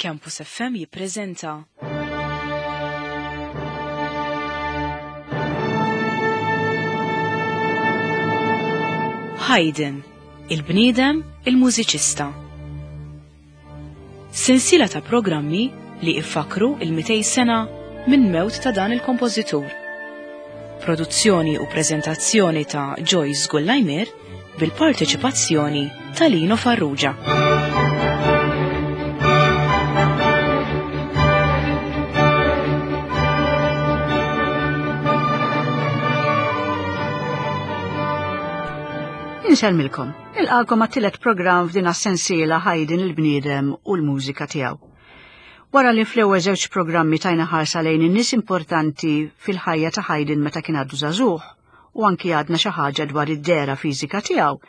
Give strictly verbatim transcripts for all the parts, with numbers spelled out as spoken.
Campus F M jippreżenta Haydn, il-bniedem, il-mużiċista. Sensiela ta' programmi li iffakru il-mitej sena minn mewt ta' dan il-kompożitur. Produzzjoni u preżentazzjoni ta' Joyce Gullajmer bil-parteċipazzjoni ta' Lino Farrugia. Insellmilkom, nilqakom għat-tielet programm f'din as-sensiela Haydn il-bniedem u l-mużika tiegħu. Wara li fl-ewwel żewġ programmi tajna ħarsa lejn in-nies importanti fil-ħajja ta' Haydn meta kien għadu żagħżugħ u anki għadna xi ħaġa dwar id-dehra fiżika tiegħu,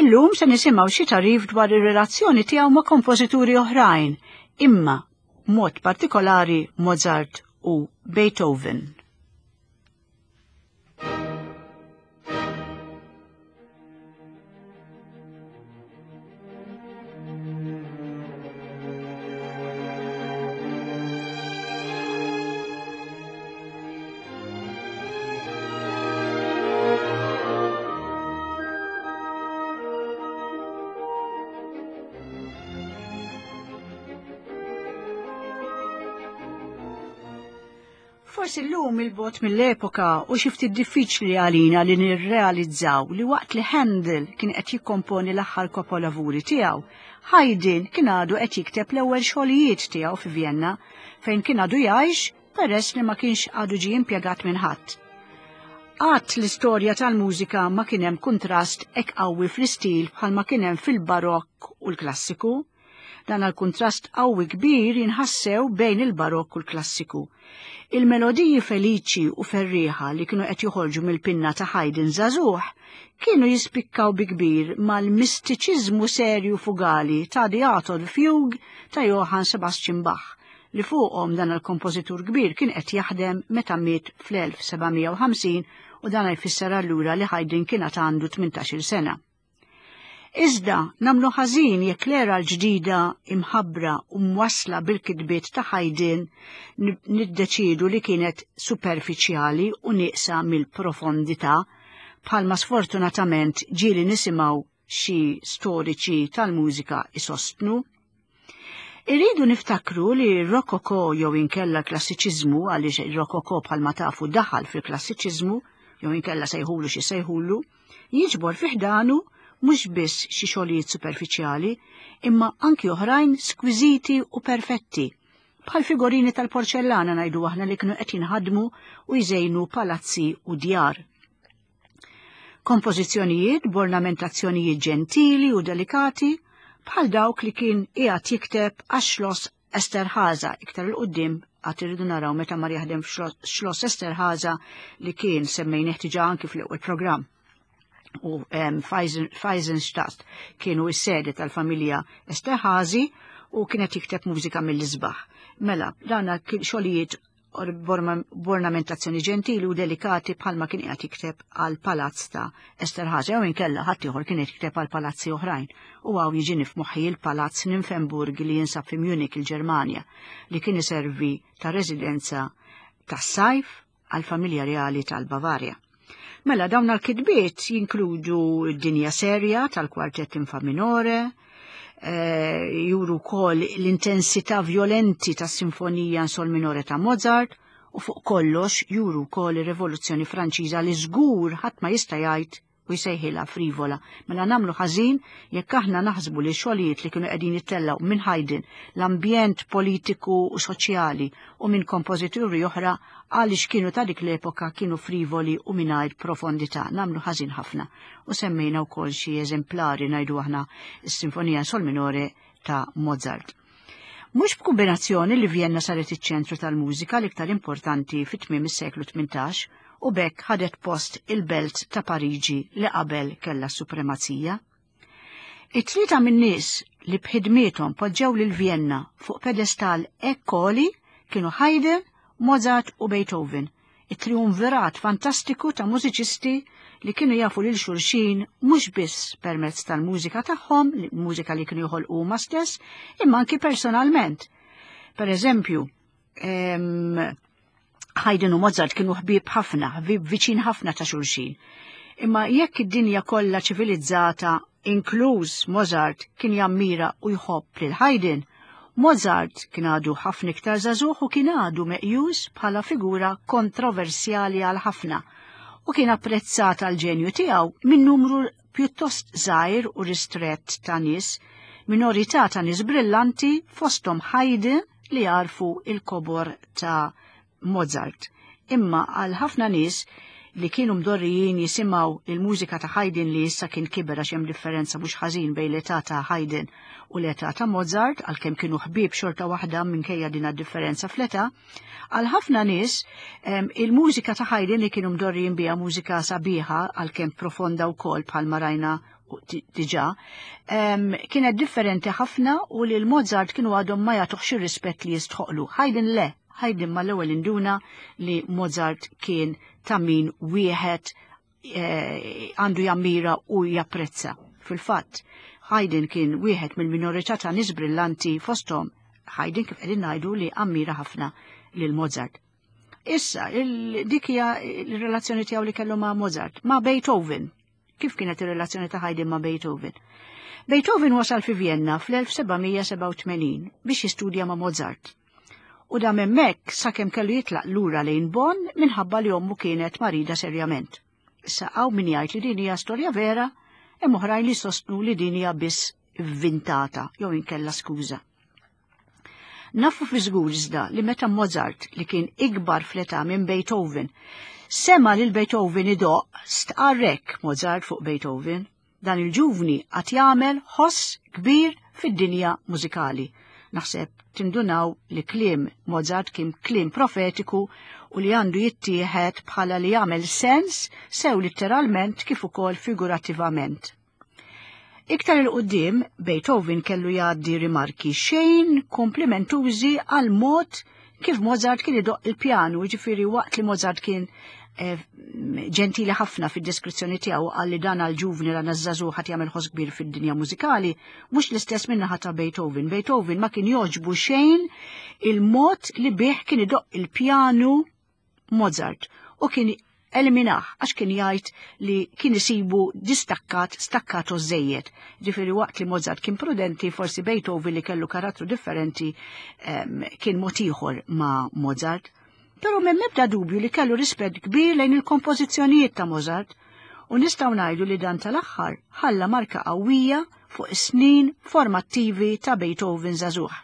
illum se nisimgħu xi tagħrif dwar ir-relazzjoni tiegħu ma' kompożituri oħrajn, imma b'mod partikolari Mozart u Beethoven. Forsi llum il-bot mill-epoka u xi ftit diffiċli għalina li nirrealizzaw li waqt li Handel kien qed jikkomponi l-aħħar kapolavuri tiegħu, Haydn kien għadu qed jikteb l-ewwel xogħlijiet tiegħu fi Vienna fejn kien għadu jgħix peress li ma kienx għadu ġie impjegat minn ħadd. Qatt l-istorja tal-mużika ma kien hemm kuntrast hekk qawwi fl-istil bħalma kien hemm fil-barokk u l-klassiku. Dan għal-kuntrast qawwi kbir jinħassew bejn il-barokk u l-klassiku. Il-melodiji feliċi u ferrieħa li kienu qed joħorġu mill-pinna ta' Haydn żagħżugħ kienu jispikkaw bi kbir mal-mistiċiżmu serju fugali ta' The Art of the Fugue ta' Johann Sebastian Bach li fuqhom dan il-kompożitur kbir kien qed jaħdem meta miet fl-elf sebgħamija u ħamsin u dan jfisser allura li Haydn kien għad għandu tmintax-il sena. Iżda namlu ħażin jekk l-era l-ġdida imħabbra u mwassla bil-kitbiet ta' Haydn niddeċidu li kienet superfiċjali u nieqsa mill-profondità, bħalma sfortunatament ġieli nisimgħu xi storiċi tal-mużika isostnu. Irridu niftakru li r-rokoko jew inkella klassiċiżmu, għaliex ir-rokoko bħalma tafu daħal fil-klassiċiżmu, jew inkella sejħulu xi sejħulu, jiġbor fi ħdanu mhux biss xi xogħlijiet superfiċjali, imma anki oħrajn skwiżiti u perfetti, bħal figurini tal-porċellana ngħidu aħna li kienu qed jinħadmu u jżejnu palazzi u djar. Kompożizzjonijiet b'ornamentazzjonijiet ġentili u delikati bħal dawk li kien qiegħed jikteb għax-Schloss Esterhaza, iktar il quddiem għad irridu naraw meta mar jaħdem f'Schloss Esterhaza li kien semmejnieh diġà anki fl-ewwel programm. U, em, Feisenstadt kienu s-sede tal-familja Esterhazy u kienet jikteb mużika mill-isbaħ. Mela, dana kien xogħlijiet b'ornamentazzjoni ġentili u delikati bħalma kien qiegħed jikteb għal palazz ta' Esterhazy, jew inkella ħadd ieħor kien qed jikteb għal palazzi oħrajn. U hawn jiġini f'moħħi l-palazz Nymphenburg li jinsab fi Munich il-Ġermanja, li kien iservi ta' residenza tas-sajf għall-familja reali tal-Bavarja. Mela, dawn l-kitbiet jinkludu d-dinja serja tal-kwartett in fa minore, eh, juru wkoll l-intensità violenti tas-sinfonija in sol minore ta' Mozart, u fuq kollox juru wkoll ir-Rivoluzzjoni Franċiża li żgur ħadd ma jista' jgħid u jsejħilha frivola. Mela nagħmlu ħażin jekk aħna naħsbu li xogħlijiet li kienu qegħdin jittellgħu minn Haydn, l-ambjent politiku u soċjali u minn kompożituri oħra għaliex kienu ta' dik l-epoka kienu frivoli u mingħajr profondità. Nagħmlu ħażin ħafna. U semmejna wkoll xi eżemplari ngħidu aħna s-Sinfonija Sol Minore ta' Mozart. Mhux b'kombinazzjoni li Vienna saret iċ-ċentru tal-mużika l-iktar importanti fit-tmiem is-seklu tmintax u b'hekk ħadet post il-belt ta' Pariġi li qabel kellha s-supremazija. It-tlieta min-nies li b'ħidmiethom poġġew lil Vienna fuq pedestal ekkoli kienu Haydn, Mozart u Beethoven, it-triumvirat fantastiku ta' mużiċisti li kienu jafu lil xulxin mhux biss permezz tal-mużika tagħhom, mużika li kienu joħolqu huma stess, imma anki personalment. Per eżempju, Haydn u Mozart kienu ħbieb ħafna, ħbieb viċin ħafna ta' xulxin. Imma jekk id-dinja kollha ċivilizzata, inkluż Mozart, kien jammira u jħobb lil Haydn, Mozart kien għadu ħafna iktar żagħżugħ u kien għadu meqjus bħala figura kontroversjali għal ħafna u kien apprezzat għal ġenju tiegħu minn numru pjuttost żgħir u ristrett ta' nies, minorità ta' nies brillanti fosthom Haydn li jarfu il-kobor ta' Mozart. Imma għal ħafna nies li kienu mdorrijin jisimgħu il-mużika ta' Haydn li issa kien kiber għax hemm differenza mhux ħażin bejn l-età ta' Haydn u l-età ta' Mozart, għalkemm kienu ħbieb xorta waħda minkejja din differenza fl-età, għal ħafna nies il-mużika ta' Haydn li kienu mdorrijin biha mużika sabiħa għalkemm profonda wkoll bħalma rajna diġà, kienet differenti ħafna u li l-Mozart kienu għadhom ma jagħtuhx ir-rispett li jistħoqlu. Haydn le, Haydn mal-ewwel induna li Mozart kien ta' min wieħed għandu jammira u japprezza. Fil-fatt, Haydn kien wieħed mill-minorità ta' nies brillanti fosthom Haydn kif qegħdin ngħidu li ammira ħafna lil Mozart. Issa, dik hija l-relazzjoni tiegħu li kellu ma' Mozart, ma' Beethoven. Kif kienet ir-relazzjoni ta' Haydn ma' Beethoven? Beethoven wasal fi Vienna fl-elf sebgħamija sebgħa u tmenin biex jistudja ma' Mozart. U dam hemmhekk sakemm kellu jitlaq lura lejn Bonn minħabba li ommu kienet marida serjament. Issa hawn min jgħid li din hija storja vera, hemm oħrajn li sostnu li din hija biss vvintata jew inkella skuża. Nafu fi żgur iżda li meta Mozart, li kien ikbar fl-età minn Beethoven, sema lil Beethoven idoqq, stqarrek Mozart fuq Beethoven, dan il-ġuvni qatt jagħmel ħoss kbir fid-dinja mużikali. Naħseb tindunaw li kliem Mozart kien kliem profetiku u li għandu jittieħed bħala li jagħmel sens sew litteralment kif ukoll figurattivament. Iktar il-qudiem Beethoven kellu jgħaddi rimarki xejn komplimentużi għal mod kif Mozart kien idoqq il-pjanu, jiġifieri waqt li Mozart kien ġentili ħafna fid-deskrizzjoni tiegħu qal li dan għal-ġuvni la nażżażu ħadd jagħmel ħoss kbir fid-dinja mużikali, mhux l-istess min-naħa ta' Beethoven. Beethoven ma kien jogħġbu xejn il-mod li bih kien idoqq il-pjanu Mozart u kien eliminah għax kien jgħid li kien isibu distakkat, stakkato żejjed. Ġifieri waqt li Mozart kien prudenti, forsi Beethoven li kellu karattru differenti kien mod ieħor ma' Mozart. Però m'hemm ebda dubju li kellu rispett kbir lejn il-kompożizzjonijiet ta' Mozart u nistgħu ngħidu li dan tal-aħħar ħalla marka qawwija fuq is-snin formattivi ta' Beethoven żagħżugħ.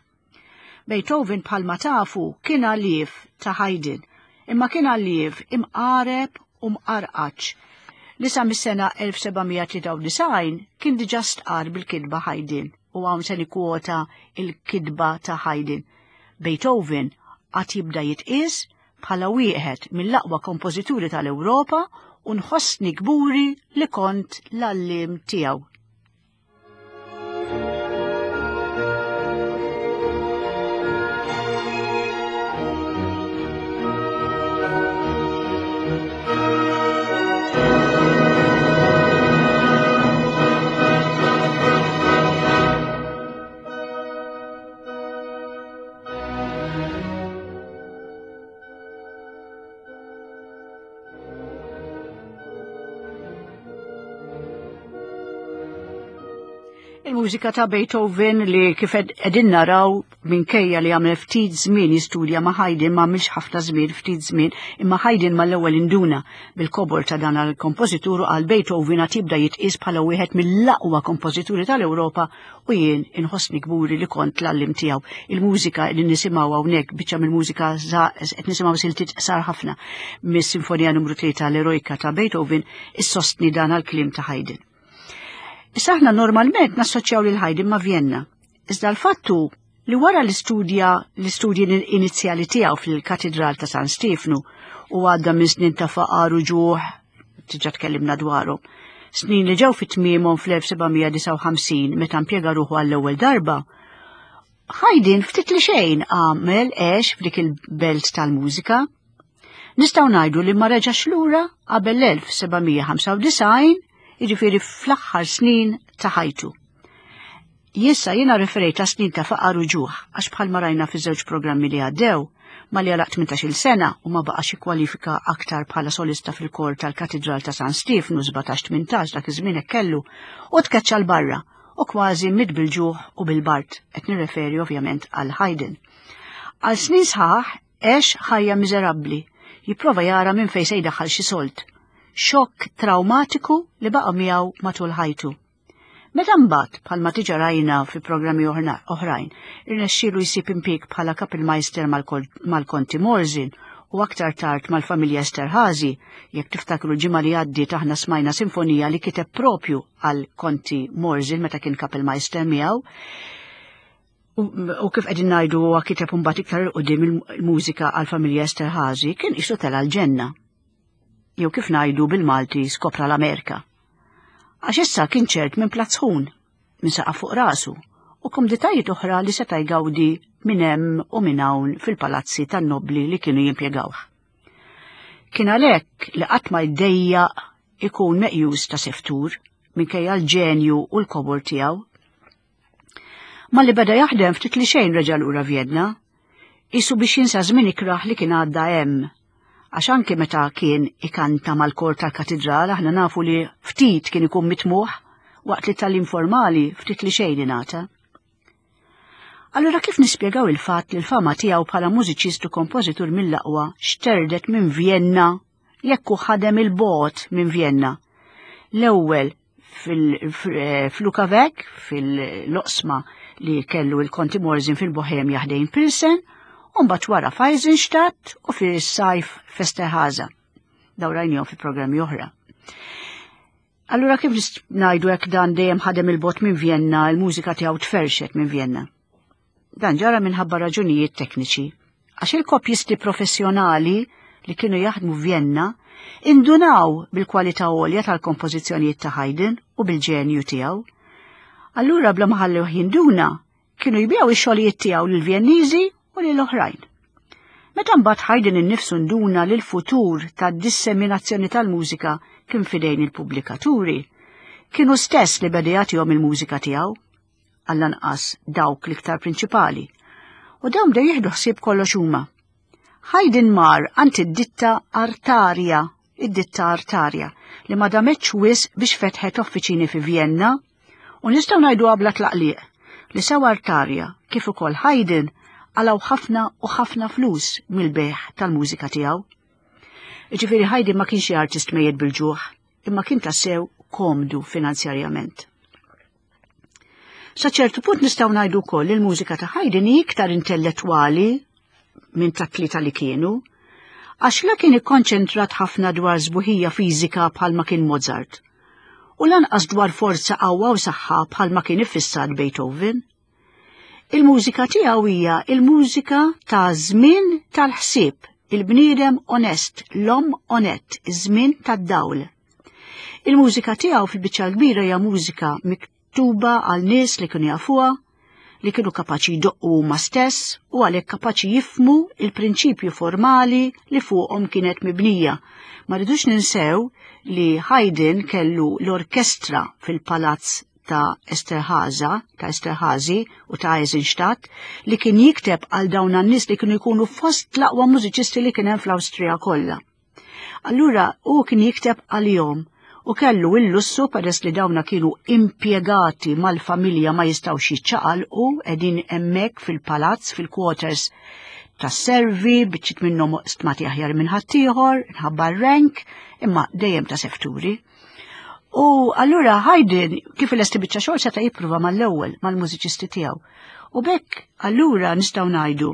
Beethoven bħalma tafu kien għallief ta' Haydn, imma kien għallief imqareb u mqarqaċ li sa mis-sena elf sebgħamija tlieta u disgħin kien diġà stqar bil-kitba Haydn u hawn se nikkwota il-kitba ta' Haydn. Beethoven qatt jibda jitqies bħala wieħed mill-aqwa kompożituri tal-Ewropa u nħossni kburi li kont l-għalliem tiegħu. Il-mużika ta' Beethoven li kif qegħdin naraw minkejja li għamel ftit żmien jistudja ma' Haydn, ma għamilx ħafna żmien, ftit żmien, imma Haydn mal-ewwel induna bil-kobor ta' dan għall-kompożitur għal Beethoven għad jibda jitqies bħala wieħed mill-aqwa kompożituri tal-Ewropa u jien inħossni kburi li kont l-għallim tiegħu. Il-mużika li nisimgħu hawnhekk biċċa mill-mużika qed nisimgħu siltiet qsar ħafna mis-Sinfonija numru tlieta l-Erojka ta' Beethoven issostni dan għall-kliem ta' Haydn. Issa aħna normalment nassoċjaw lil Haydn ma' Vienna. Iżda l-fattu li wara l-istudja l-istudji inizjali tiegħu fil-Katedral ta' San Stefnu u għadda minn snin ta' faqar u ġuħ, diġà tkellimna dwarhom, snin li ġew fit-tmiemhom fl-elf sebgħamija disgħa u ħamsin meta impjega ruħu għall-ewwel darba, Haydn ftit li xejn għamel għex f'dik il-belt tal-mużika. Nistgħu ngħidu li ma reġax lura qabel l-elf sebgħamija ħamsa u disgħin, jiġifieri fl-aħħar snin ta' ħajtu. Issa jiena referejt ta' snin ta' faqar u ġuħ, għax bħalma rajna fi żewġ programmi li għaddew, malli għalaq tmintax-il sena u ma baqax jikkwalifika aktar bħala solista fil-kor tal-Katidral ta' San Stiefnu sbatax tmintax dak iż-żmien hekk kellu, u tkeċċa 'l barra u kważi miet bil-ġuħ u bil-bard, qed nirreferi ovvjament għal Haydn. Għal snin sħaħ għex ħajja miżerabbli, jipprova jara minn fejn se jdaħħal xi sold. Xokk traumatiku li baqa' miegħu matul ħajtu. Meta mbagħad, bħalma diġà rajna fi programmi oħrajn, irnexxielu jsib impjieg bħala Kapellmeister mal-Konti Morzin u aktar tard mal-familja Esterhazy, jekk tiftakru l-ġimgħa li għaddiet aħna smajna sinfonija li kiteb propju għal Konti Morzin meta kien Kapellmeister miegħu. U kif qegħdin ngħidu huwa kiteb imbagħad iktar 'il quddiem il-mużika għal familja Esterhazy, kien qisu tela' l-ġenna. Jew kif ngħidu bil-Malti skopra l-Amerika. Għax issa kien ċert minn platt sħun, minn saqaf fuq rasu, u komditajiet oħra li seta' jgawdi minn hemm u minn hawn fil-palazzi tan-nobli li kienu jimpjegawh. Kien għalhekk li qatt ma jdejjaq ikun meqjus ta' seftur minkejja l-ġenju u l-kobor tiegħu. Malli beda jaħdem ftit li xejn reġa' lura Vjenna, qisu biex jinsa żmien ikrah li kien għadda hemm. Għax anke meta kien ikanta mal-kor tal-katedral aħna nafu li ftit kien ikun mitmuħ waqt li tal informali ftit li xejn ingħata. Allura kif nispjegaw il-fatt li l-fama tiegħu bħala mużiċist u kompożitur mill-aqwa xterdet minn Vjenna jekk hu ħadem il-bogħod minn Vjenna? L-ewwel fil-Lukavec, fil-loqsma li kellu il-Konti Morzin fil-Bohemja ħdejn Pilsen, u mbagħad wara f'Eisenstadt u fis-sajf f'Esterhaza. Daw rajnihom fi programmi oħra. Allura kif ngħidu hekk dan dejjem ħadem il-bogħod minn Vjenna, il-mużika tiegħu tferxet minn Vjenna? Dan ġara minħabba raġunijiet tekniċi. Għax il-kopjisti professjonali li kienu jaħdmu f'Vjenna indunaw bil-kwalità għolja tal-kompożizzjonijiet ta' Haydn u bil-ġenju tiegħu. Allura bla ma ħallewh jinduna, kienu jbigħu ix-xogħlijiet tiegħu lill-Vjenniżi u lil oħrajn. Meta mbagħad Haydn innifsu nduna li l-futur tad-disseminazzjoni tal-mużika kien fidejn il-pubblikaturi, kienu stess li beda jagħtihom il-mużika tiegħu, għall-anqas dawk l-iktar prinċipali, u dawn bdew jieħdu ħsieb kollox huma. Haydn mar għand id-ditta Artaria, id-ditta Artaria, li ma dametx wisq biex fetħet uffiċini fi Vjenna, u nistgħu ngħidu bla tlaqliq li sew Artaria kif ukoll Haydn għalaw ħafna u ħafna flus mill-bejgħ tal-mużika tiegħu. Jiġifieri Haydn ma kienx artist mejjet bil-ġuħ, imma kien tassew komdu finanzjarjament. Sa ċertu punt nistgħu ngħidu wkoll li l-mużika ta' Haydn hi iktar intellettwali minn tat-tlieta li kienu, għax la kien ikkonċentrat ħafna dwar sbuħija fiżika bħalma kien Mozart, u lanqas dwar forza qawwa u saħħa bħalma kien iffissat Beethoven. Il-mużika tiegħu hija il-mużika ta' żmien tal-ħsieb, il-bniedem onest, l-om onett, iż-żmien tad-dawl. Il-mużika tiegħu fil-biċċa l-kbira hija mużika miktuba għal nies li kienu jafuha, li kienu kapaċi jdoqqu huma stess u għalhekk kapaċi jifhmu il-prinċipju formali li fuqhom kienet mibnija. Ma rridux ninsew li Haydn kellu l-orkestra fil-palazz ta' Esterhaza, ta' Esterhazy u ta' Eisenstadt, li kien jikteb għal dawn an-nies li kienu jkunu fost l-aqwa mużiċisti li kien hemm fl-Awstrija kollha. Allura hu kien jikteb għalihom u kellu il-lussu peress li dawna kienu impjegati mal-familja ma jistgħux jiċċaqalqu qegħdin hemmhekk fil-palazz, fil-quarters tas-servi, biċċiet minnhom stmati aħjar minn ħaddieħor, minħabba r-rank, imma dejjem ta' sefturi. U allura Haydn kif ilesti biċċa xogħol seta' jipprova mal-ewwel mal-mużiċisti tiegħu. U b'hekk allura nistgħu ngħidu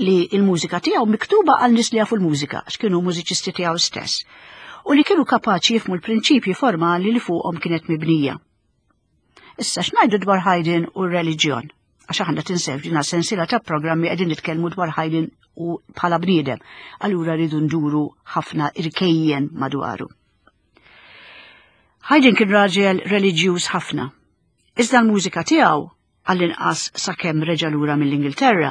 li l-mużika tiegħu miktuba għal nies li jafu l-mużika, għax kienu mużiċisti tiegħu stess, u li kienu kapaċi jifhmu l-prinċipji formali li fuqhom kienet mibnija. Issa x'ngħidu dwar Haydn u r-reliġjon? Għax aħna tinsew dina sensiela ta' programmi qegħdin nitkellmu dwar Haydn u bħala bniedem, allura rridu nduru ħafna irkejjen madwaru. Haydn kien raġel reliġjuż ħafna. Iżda l-mużika tiegħu, għall-inqas sakemm reġa' lura mill-Ingilterra,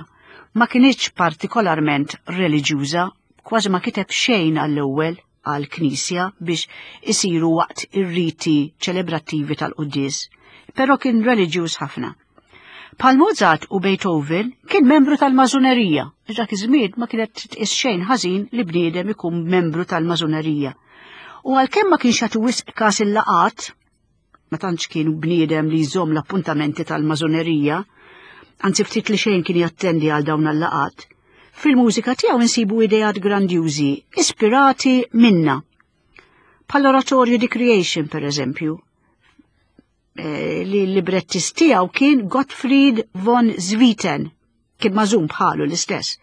ma kinitx partikolarment reliġjuża, kważi ma kiteb xejn għall-ewwel għal-knisja biex isiru waqt ir-riti ċelebrattivi tal-quddies, però kien reliġjuż ħafna. Bħal Mozart u Beethoven kien membru tal-mażunerija. Dak iż-żmien ma kienet titqis xejn ħażin li bniedem ikun membru tal-mażunerija. U għalkemm ma kienx jagħti wisq każ il-laqat, ma tantx kien bniedem li jżomm l-appuntamenti tal-mażunerija, anzi ftit li xejn kien jattendi għal dawn il-laqat. Fil-mużika tiegħu insibu ideat grandjużi, ispirati minna. Bħall-oratorju The Creation, per eżempju, eh, li l-librettist tiegħu kien Gottfried von Swieten, kien mażun bħalu l-istess.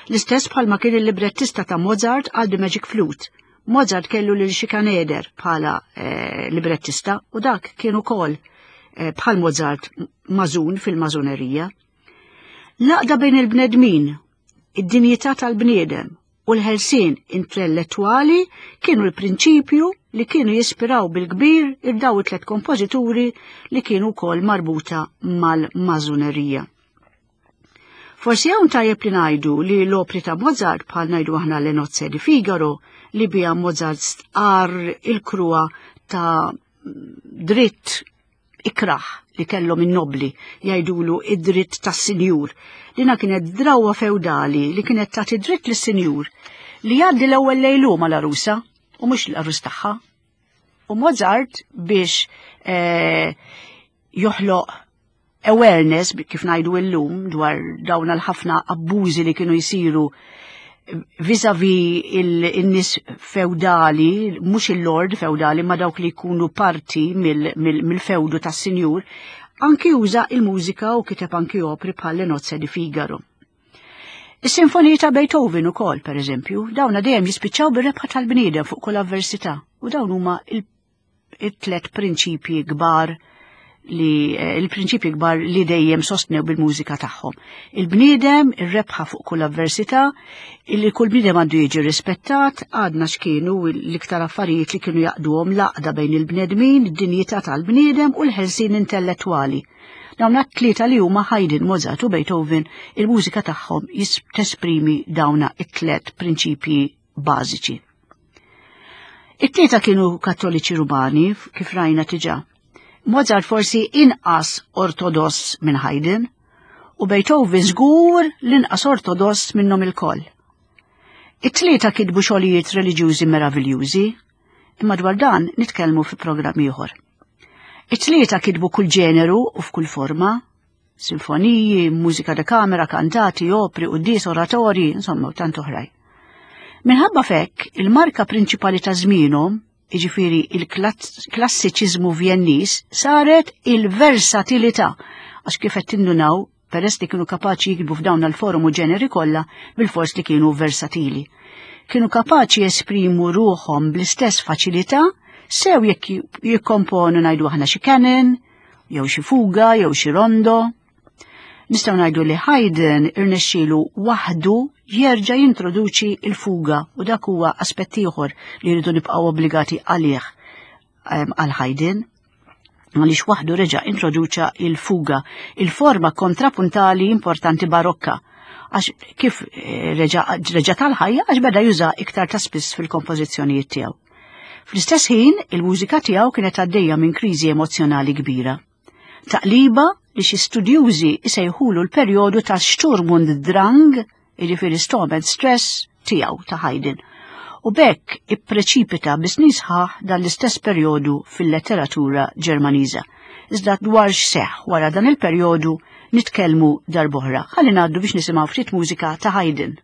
L-istess bħalma kien il-librettista ta' Mozart għal The Magic Flute. Mozart kellu lil Schikaneder bħala eh, librettista u dak kien ukoll eh, bħal Mozart mażun fil-mażunerija. L-għaqda bejn il-bnedmin, id-dinjità tal-bniedem u l-ħelsien intellettwali kienu l-prinċipju li kienu jispiraw bil-kbir il-daw it-tlet kompożituri li kienu wkoll marbuta mal-mażunerija. Forsi hawn tajjeb li ngħidu li l-opri ta' Mozart bħal ngħidu aħna Le Nozze di Figaro li biha Mozart stqarr il-kruha ta' dritt ikraħ li kellhom in-nobli jgħidulu id-dritt tas-sinjur. Dina kienet drawa feudali li kienet tagħti dritt lis-sinjur li jgħaddi l-ewwel lejlu mal-arusa u mhux l-arus tagħha. U Mozart biex eh, joħloq awareness kif ngħidu illum dwar dawn l-ħafna abbużi li kienu jsiru vis-a-vis il-nies feudali, mhux il-lord feudali, ma dawk li jkunu parti mill-feudu tas-sinjur, anki uża il-mużika u kiteb anki opri bħal Le Nozze di Figaro. Is-sinfoniji ta' Beethoven ukoll, per eżempju, dawna dejjem jispiċċaw bir-rebħa tal-bniedem fuq kull avversità u dawn huma il-tlet prinċipji kbar li il-prinċipji kbar li dejjem sostnew bil-mużika tagħhom. Il-bniedem, ir-rebħa fuq kull avversità, illi kull bniedem għandu jiġi rispettat, għadna x'kienu l-iktar affarijiet li kienu jaqduhom l-għaqda bejn il-bnedmin, id-dinjità tal-bniedem u l-ħelsien intellettwali. Dawn it-tlieta li huma Haydn, Mozart u Beethoven, il-mużika tagħhom tesprimi dawna it-tlet prinċipji bażiċi. It-tlieta kienu kattoliċi Rumani, kif rajna diġà. Mozart forsi inqas ortodoss minn Haydn u Beethoven żgur l-inqas ortodoss minnhom ilkoll. It-tlieta kitbu xogħlijiet reliġjużi meraviljużi, imma dwar dan nitkellmu fi programm ieħor. It-tlieta kitbu kull ġeneru u f'kull forma, sinfoniji, mużika da kamera, kantati, opri, quddies, oratorji, insomma, u tant oħrajn. Minħabba fekk, il-marka prinċipali ta' żmienhom, jiġifieri il-klassiċiżmu Vjenniż, saret il-versatilità, għax kif qed tindunaw, peress li kienu kapaċi jiktbu f'dawn l-forum u ġeneri kollha, bil-fors li kienu versatili. Kienu kapaċi jesprimu ruħhom bl-istess faċilità, sew jekk jikkomponu ngħidu aħna xi canon, jew xi fuga, jew xi rondo. Nistgħu ngħidu li Haydn irnexxielu waħdu jerġa' jintroduċi il-fuga u dak huwa aspett ieħor li rridu nibqgħu obbligati għalih għal Haydn, għaliex waħdu reġa' introduċa il-fuga, il-forma kontrapuntali importanti barokka, għax kif reġa' tal-ħajja għax beda juża iktar ta' spiss fil-kompożizzjonijiet tiegħu. Fl-istess ħin, il-mużika tiegħu kienet għaddejja minn kriżi emozjonali kbira. Taqliba li xi studjużi isejħulu l-perjodu ta' Sturm und Drang, jiġifieri storm and stress tiegħu ta' Haydn. U bekk ippreċipita bi snin sħaħ dan l-istess perjodu fil-letteratura Ġermaniża. Iżda dwar x'seħħ wara dan il-perjodu nitkellmu darb'oħra. Ħalli ngħaddu biex nisimgħu ftit mużika ta' Haydn.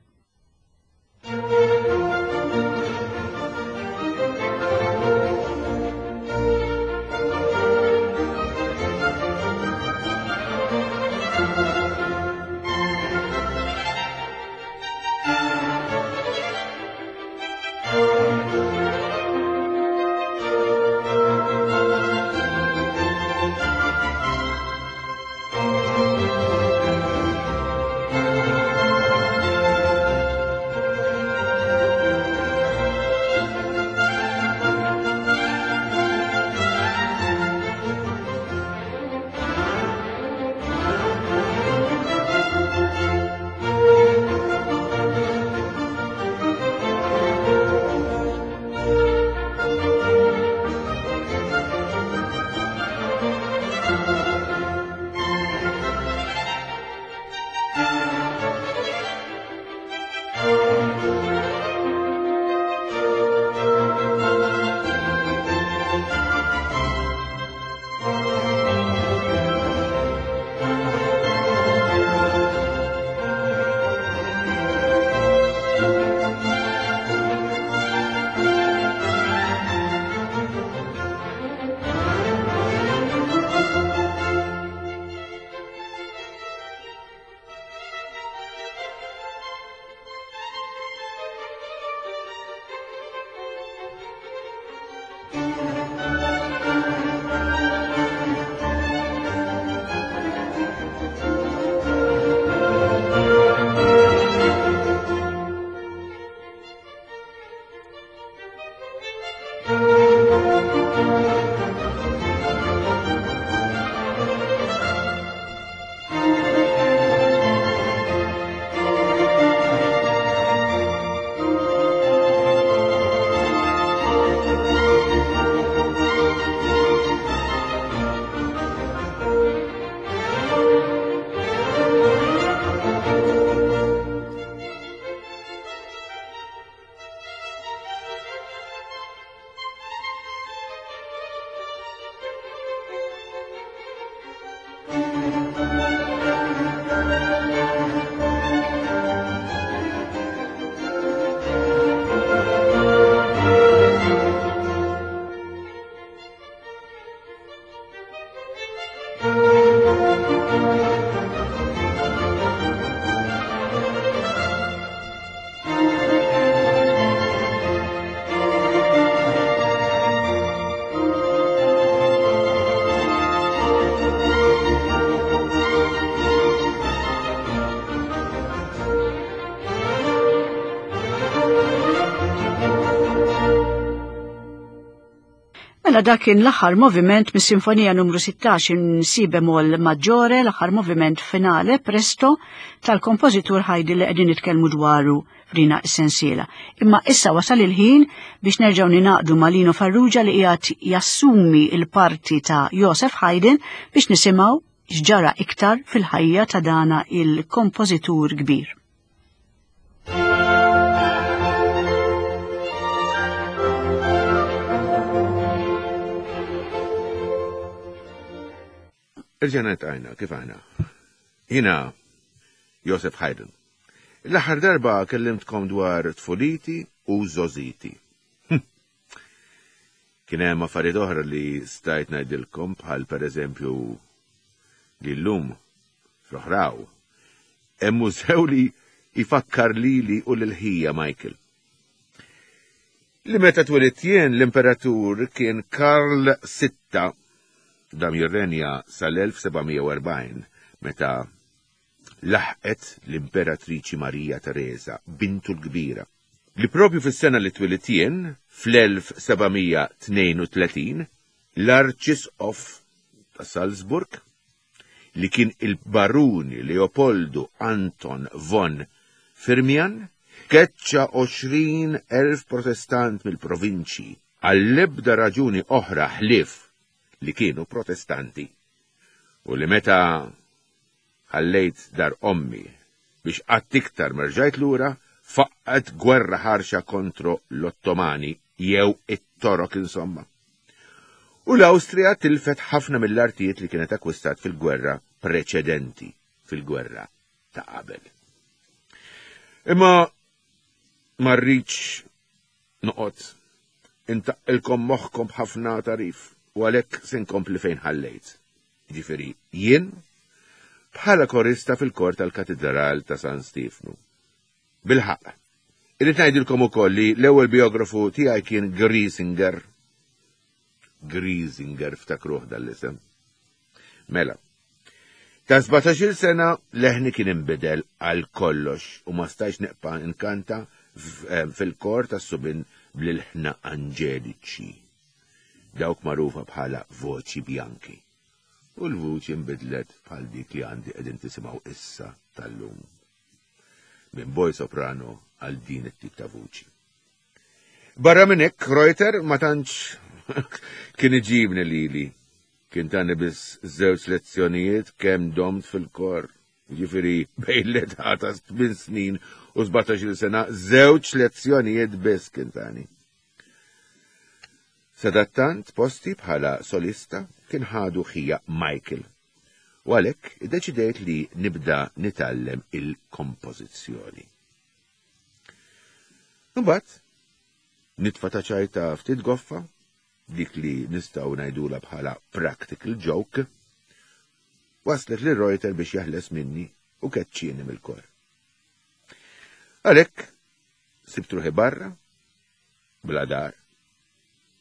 Mela dak kien l-aħħar moviment mis-Sinfonija numru sittax in Si bemol maggiore, l-aħħar moviment finale presto tal-kompożitur Haydn li qegħdin nitkellmu dwaru f'dina s-sensiela. Imma issa wasal il-ħin biex nerġgħu ninaqdu ma' Lino Farrugia li qiegħed jassumi il-parti ta' Joseph Haydn biex nisimgħu x'ġara iktar fil-ħajja ta' dana il-kompożitur kbir. Irġena tajna, kif aħna? Jina Joseph Haydn. L-aħħar darba kellimtkom dwar tfuliti u żożiti. Kien hemm affarijiet oħra li stajt ngħidilkom bħal pereżempju li llum fl-oħraw hemm mużew li jfakkar lili u lil ħija Michael. Li meta twelidt jien l-imperatur kien Karl sitta, dam jirrenja sal-elf seba' mija u erbgħin, meta laħqet l-imperatriċi Marija Teresa, bintu l-kbira. Li propju fis-sena li twelidt jien, fl-elf seba' mija tnejn u tletin, l-Arċisqof ta' Salzburg, li kien il-baruni Leopoldo Anton von Firmian, keċċa għoxrin elf protestant mill-provinċji għall-ebda raġuni oħra ħlief li kienu protestanti. U li meta ħallejt dar ommi biex qatt iktar merġajt lura, faqqet gwerra ħarxa kontro l-Ottomani jew it-Torok insomma. U l-Awstrija tilfet ħafna mill-artijiet li kienet akkwistat fil-gwerra preċedenti, fil-gwerra ta' qabel. Imma ma rridx noqgħod intaqqilkom moħħkom b'ħafna tarif u għalhekk se nkompli fejn ħallejt. Ġifieri jien bħala korista fil-kor tal-Katedral ta' San Stefnu. Bilħaq, irrid ngħidilkom ukoll li l-ewwel biografu tiegħi kien Griesinger. Griesinger ftakruh dal-isem. Mela, ta' sbatax-il sena leħni kien inbidel għal kollox u ma stajx neqpa' inkanta f-, eh, fil-kor tas-subin bl-ilħna anġeliċi, dawk magħrufa bħala voċi bjanki. U l-vuċi nbidlet bħal dik li għandi qegħdin tisimgħu issa tal-lum. Minn boj soprano għal din it-tip ta' vuċi. Barra minn hekk, Reuter ma tantx kien iġibni lili. Kien tani biss żewġ lezzjonijiet kemm domt fil-kor. Ġifieri bejn l-età ta' tmien snin u sbatax-il sena, żewġ lezzjonijiet biss kien tani. Sadattant posti bħala solista kien ħadu ħija Michael. U għalhekk iddeċidejt li nibda nitgħallem il-kompożizzjoni. Imbagħad nitfa' ta' ċajta ftit goffa, dik li nistgħu ngħidulha bħala practical joke, waslet li Reuter biex jaħles minni u keċċieni mill-kor. Għalhekk sibt ruħi barra, bla dar,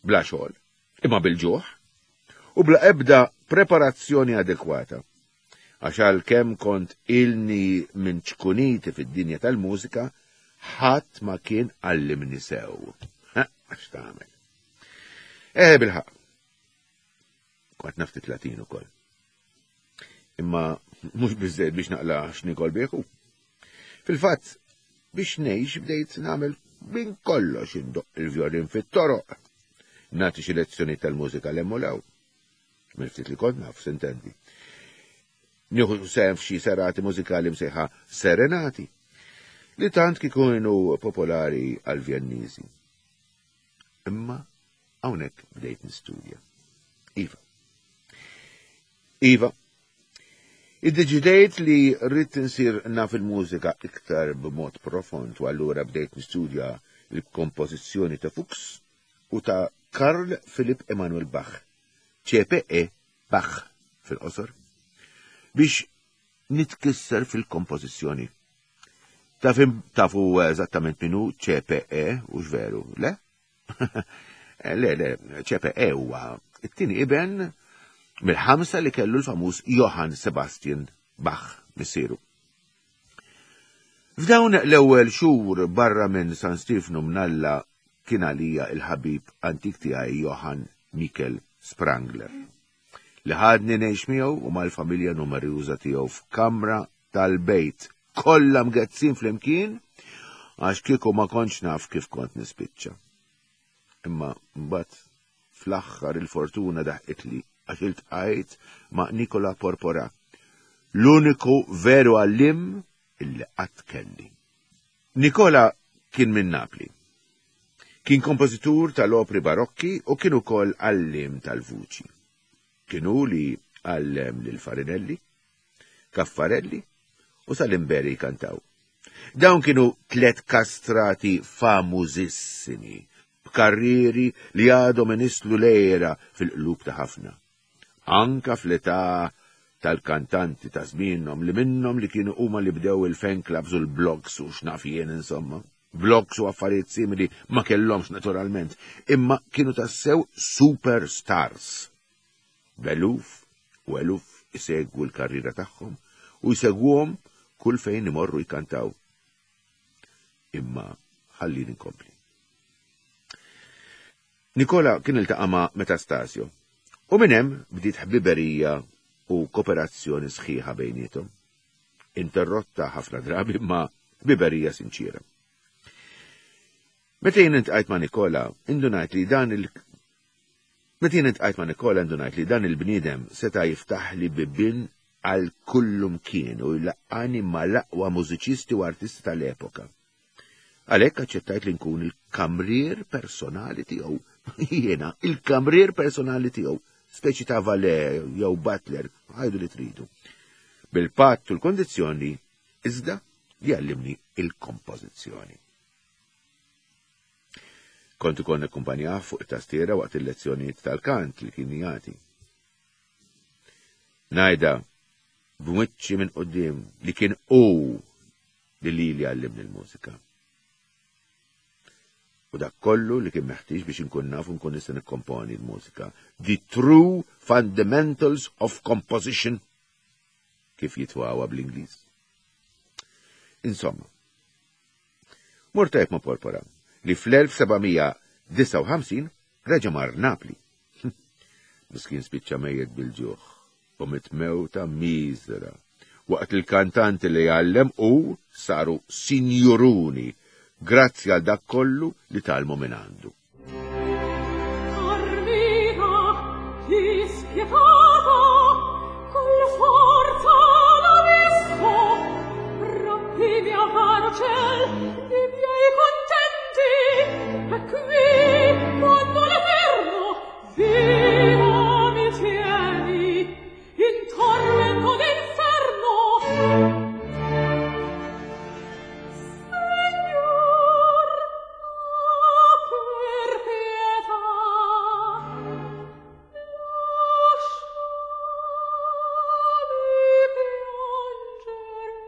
bla xogħol, imma bil-ġuħ, u bla ebda preparazzjoni adekwata. Għax għalkemm kont ilni minn ċkuniti fid-dinja tal-mużika, ħadd ma kien għallimni sew. Ha, għax tagħmel. Eh, bilħaq. Kont naf ftit Latin ukoll. Imma mhux biżżejjed biex naqla' x'nikol bieħu. Fil-fatt, biex ngħix bdejt nagħmel minn kollox, indoqq il-vjolin fit-toroq, nagħti xi lezzjoni tal-mużika l-emmolaw. Minn ftit li kont naf, sintendi. Nieħu sehem f'xi serati mużikali msejħa serenati, li tant kikunu popolari għal-Vjenniżi. Imma hawnhekk bdejt nistudja. Iva. Iva. Iddeċidejt li rrid insir naf il-mużika iktar b'mod profond u allura bdejt nistudja l-kompożizzjoni ta' Fuchs u ta' Karl Philipp Emanuel Bach, C P E Bach fil-qosor, biex nitkisser fil-kompożizzjoni. Taf-, tafu eżattament minu C P E, u x'veru, le? Le, le, C P E huwa it-tieni iben mill-ħamsa li kellu l-famuż Johann Sebastian Bach missieru. F'dawn l-ewwel xhur barra minn San Stefnu mnalla kien għalija il-ħabib antik tiegħi Johann Mikel Sprangler, li ħadni ngħix miegħu u mal-familja numeruża tiegħu f'kamra tal-bejt kollha mgezzin flimkien għax kieku ma kontx naf kif kont nispiċċa. Imma mbagħad fl-aħħar il-fortuna daħqitli għax iltqajt ma' Nikola Porpora, l-uniku veru għallim illi qatt kelli. Nikola kien minn Napli. Kien kompożitur tal-opri barokki u kien ukoll għallim tal-vuċi. Kien hu li għallem lil Farinelli, Caffarelli u Salimberi kantaw. Dawn kienu tlet kastrati famużissimi, b'karrieri li għadhom inislu lejra fil-qlub ta' ħafna. Anka fl-età tal-kantanti ta' żmienhom li minnhom li kienu huma li bdew il-fan clubs u l-blogs u x'naf jien insomma. Blogs u affarijiet simili ma kellhomx naturalment, imma kienu tassew superstars. B'eluf u eluf isegwu l-karriera tagħhom u jsegwuhom kull fejn imorru jkantaw. Imma ħallini nkompli. Nikola kien iltaqa' ma' Metastasio u minn hemm bdiet ħbiberija u kooperazzjoni sħiħa bejniethom. Interrotta ħafna drabi ma' ħbiberija sinċiera. Meta jien iltqajt ma' Nikola, indunajt li dan il Meta jien iltqajt ma' Nikola indunajt li dan il-bniedem seta' jiftaħ li bibien għal kullum kien u jlaqqani ma' l-aqwa mużiċisti u artisti tal-epoka. Għalhekk aċċettajt li nkun il-kamrier personali tiegħu. Jiena, il-kamrier personali tiegħu, speċi ta' valet jew butler, għajdu li tridu. Bil-patt u l-kondizzjoni iżda li għallimni il-kompożizzjoni. Kont ukoll nakkumpanjah fuq it-tastiera waqt il-lezzjonijiet tal-kant li kien jagħti. Ngħidha b'wiċċi minn quddiem li kien hu li lili għallimni l-mużika. U dak kollu li kien meħtieġ biex inkun naf u nkun nista' nikkomponi l-mużika. The true fundamentals of composition, kif jitwawa bl-Ingliż. Insomma, mort tajjeb ma' Porpora li fl-elf sebgħamija disgħa u ħamsin reġa' mar Napli. Miskin spiċċa mejjet bil-ġuħ u mitmewta miżra, waqt il-kantanti li għallem u saru sinjuruni grazzi għal dak kollu li talmu minn għandu. Armina, dispietata, col forza l'abisso, rompi mio caro ciel, i miei contenti, e qui, quando l'eterno vivo mi tieni, in tormento d'inferno. Signor, per pietà, lasciami piangere.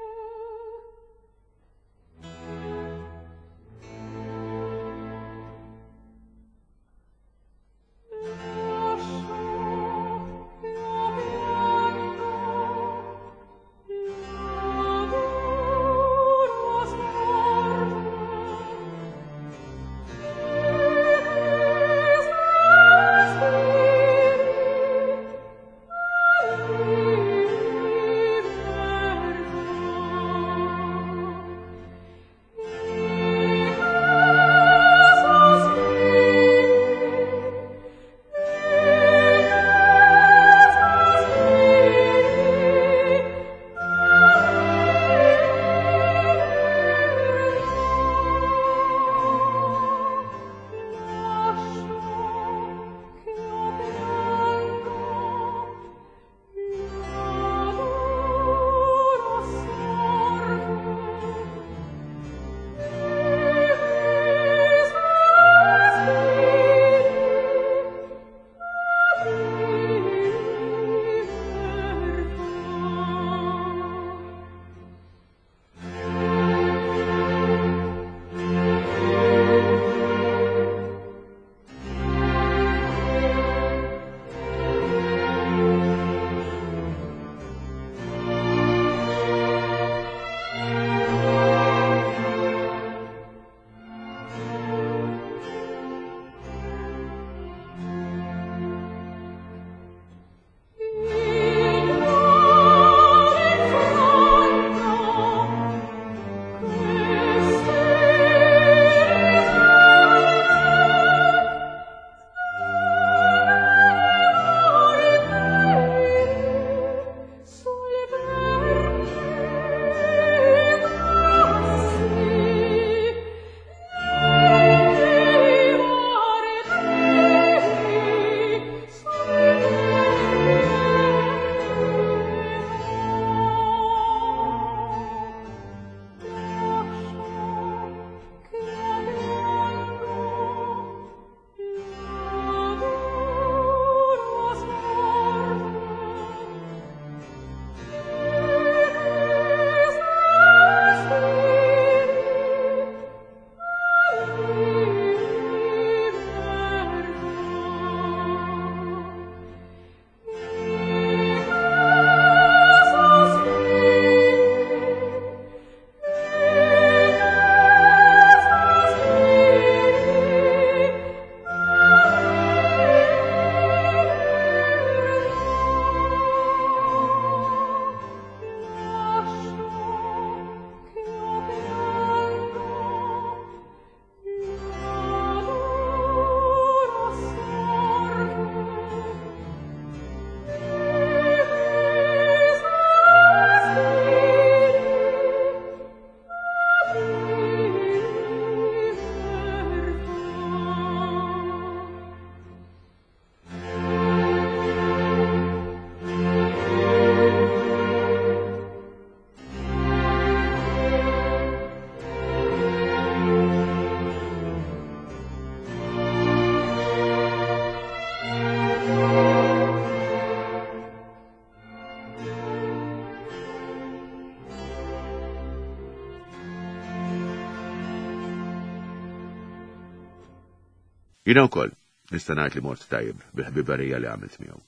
Jiena wkoll nista' ngħid li mort tajjeb bil-ħbiberija li għamilt miegħu.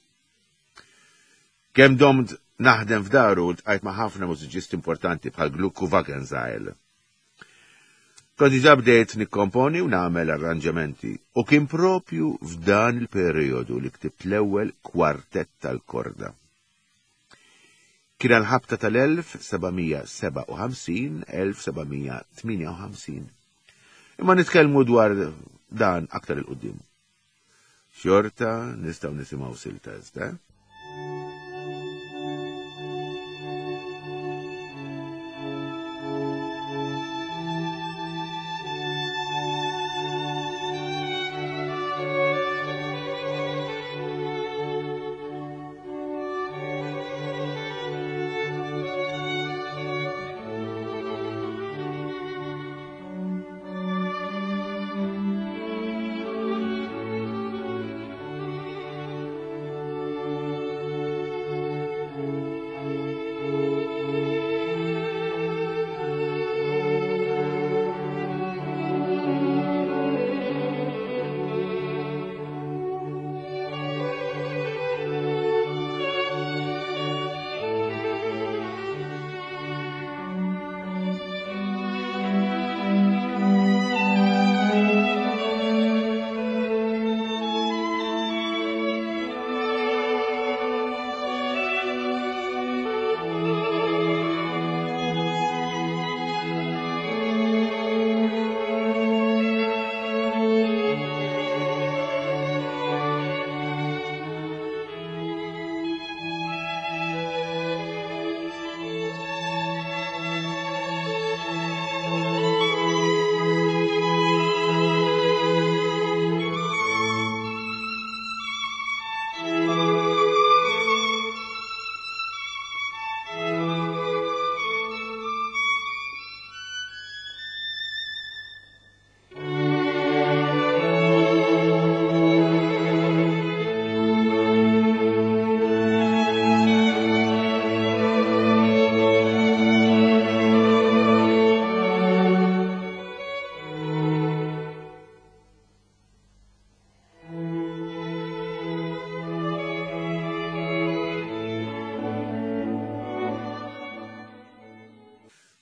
Kemm domt naħdem f'daru ltqajt ma' ħafna mużiċisti importanti bħal Gluck u Wagenseil. Kont diġà bdejt nikkomponi u nagħmel arranġamenti u kien propju f'dan il-perjodu li ktibt l-ewwel kwartett tal-korda. Kien għall-ħabta tal-elf seba' mija seba' u ħamsin elf seba' mija tmienja u ħamsin. Imma nitkellmu dwar dan aktar il-qudiem. Xorta nistgħu nisimgħu silta iżda.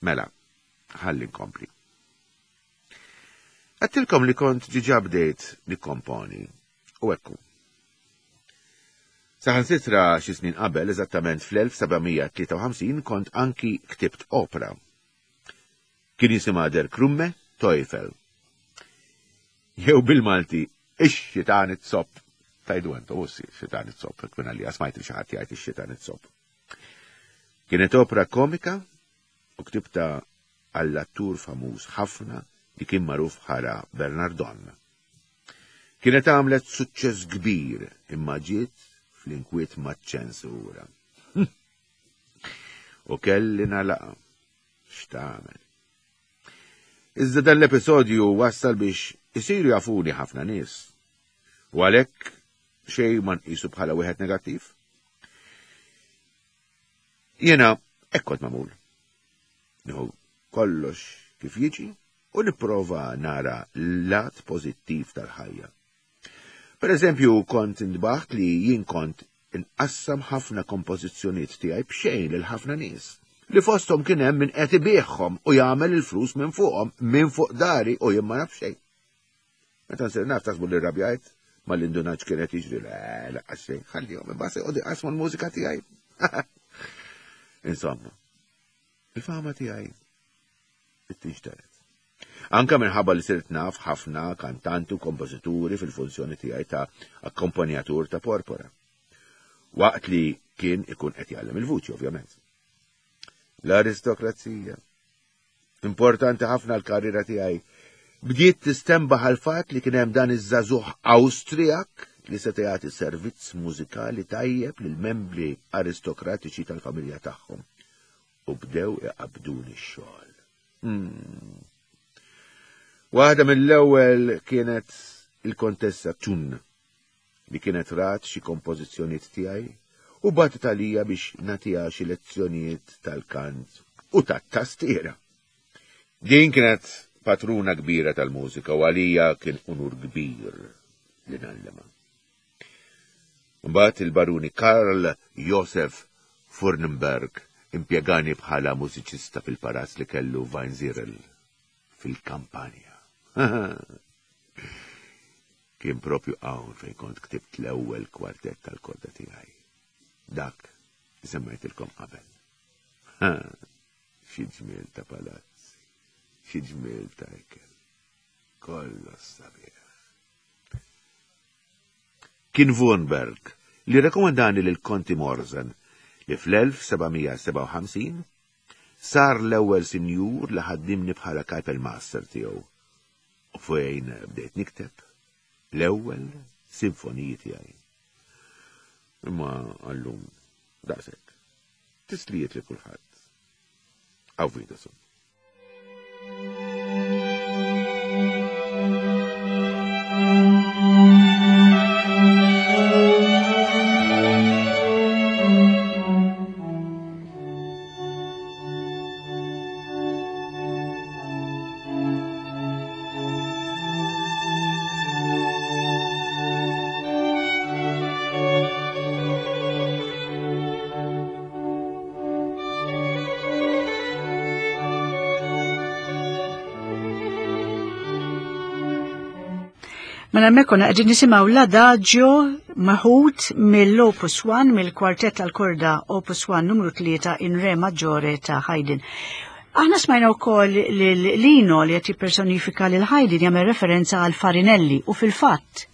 Mela, ħalli nkompli. Għedtilkom li kont diġà bdejt nikkomponi, u ekku. Saħansitra xi snin qabel, eżattament fl-elf seba' mija tlieta u ħamsin, kont anki ktibt opera. Kien jisimha Der Krumme Teufel. Jew bil-Malti, ix-xitan it-sopp. Tajdu entu, ussi, xitan it-sopp, kien għalija smajt li xi ħadd jgħid ix-xitan it-sopp. Kienet opera komika u ktibta għall-attur famuż ħafna li kien magħruf bħala Bernardon. Kienet għamlet suċċess kbir imma ġiet fl-inkwiet maċ-ċensura. U kelli nagħlaqha. X'tagħmel? Iżda dan l-episodju wassal biex isiru jafuni ħafna nies. U għalhekk xejn ma nqisu bħala wieħed negattiv. Jiena hekk kont magħmul. Nieħu kollox kif jiġi u nipprova nara l-lat pożittiv tal-ħajja. Per eżempju, kont indbaħt li jien kont inqassam ħafna kompożizzjonijiet tiegħi b'xejn lil ħafna nies, li fosthom kien hemm min qed ibigħhom u jagħmel il-flus minn fuqhom, minn fuq dari u jien ma naf xejn. Meta nsir naf taħsbu li rrabjajt, ma l-indunaġ kien qed jiġri, le, laqas xejn, ħallihom imbagħad se jqogħdu jqassmu l-mużika tiegħi. Insomma, il-fama tiegħi tinxteret. Anka minħabba li sirt naf ħafna kantanti u kompożituri fil-funzjoni tiegħi ta' akkompanjatur ta' Porpora. Waqt li kien ikun qed jgħallem il-vuċi, ovvjament. L-aristokrazija, importanti ħafna l-karriera tiegħi, bdiet tistembaħ għal fatt li kien hemm dan iż-żagħżugħ Awstrijak li seta' jagħti servizz mużikali tajjeb lill-membri aristokratiċi tal-familja tagħhom. U bdew iqabduni x-xogħol. Hmm. Waħda mill-ewwel kienet il-Kontessa Thun, li kienet rat xi kompożizzjonijiet tiegħi u bagħtet għalija biex nagħtiha xi lezzjonijiet tal-kant u tat-tastiera. Din kienet patruna kbira tal-mużika u għalija kien unur kbir li ngħallimha. Mbagħad il-baruni Karl Josef Furnenberg impjegani bħala mużiċista fil-palazz li kellu Weinzierl fil-kampanja. Kien propju hawn fejn kont ktibt l-ewwel kwartett tal-korda tiegħi. Dak li semmejtilkom qabel. Xi ġmiel ta' palazzi, xi ġmiel ta' ikel. Kollox sabiħ. Kien Wurmberg li rekomendani lil Konti Morzen li fl-elf seba' mija sebgħa u ħamsin sar l-ewwel sinjur li ħaddimni bħala Kapellmeister tiegħu u fejn bdejt nikteb l-ewwel sinfoniji tiegħi. Imma għallum daqshekk. Tislijiet li kulħadd. Auf Wiedersehen. Mela hemmhekk konna qegħdin nisimgħu l-Adagio meħud mill-Opus one, mill-kwartett tal-korda Opus one numru tlieta in Re Maggiore ta' Haydn. Aħna smajna wkoll lil Lino li qed jippersonifika lil Haydn jagħmel referenza għal Farinelli u fil-fatt